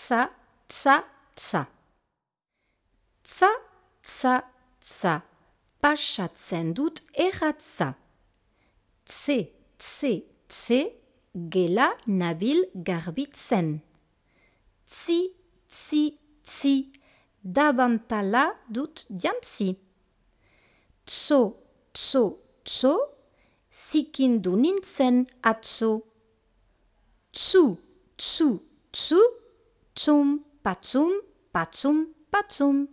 tsa, tsa, tsa. Tsa, tsa, tsa. Pasatzen dut erratza. Tse, tse, tse. Gela nabil garbitzen. Tsi, tsi, tsi. Dabantala dut jantzi. Tso, tso, tso. Zikindu nintzen atzo. Tsu, tsu, tsu. Tsum, patsum, patsum, patsum.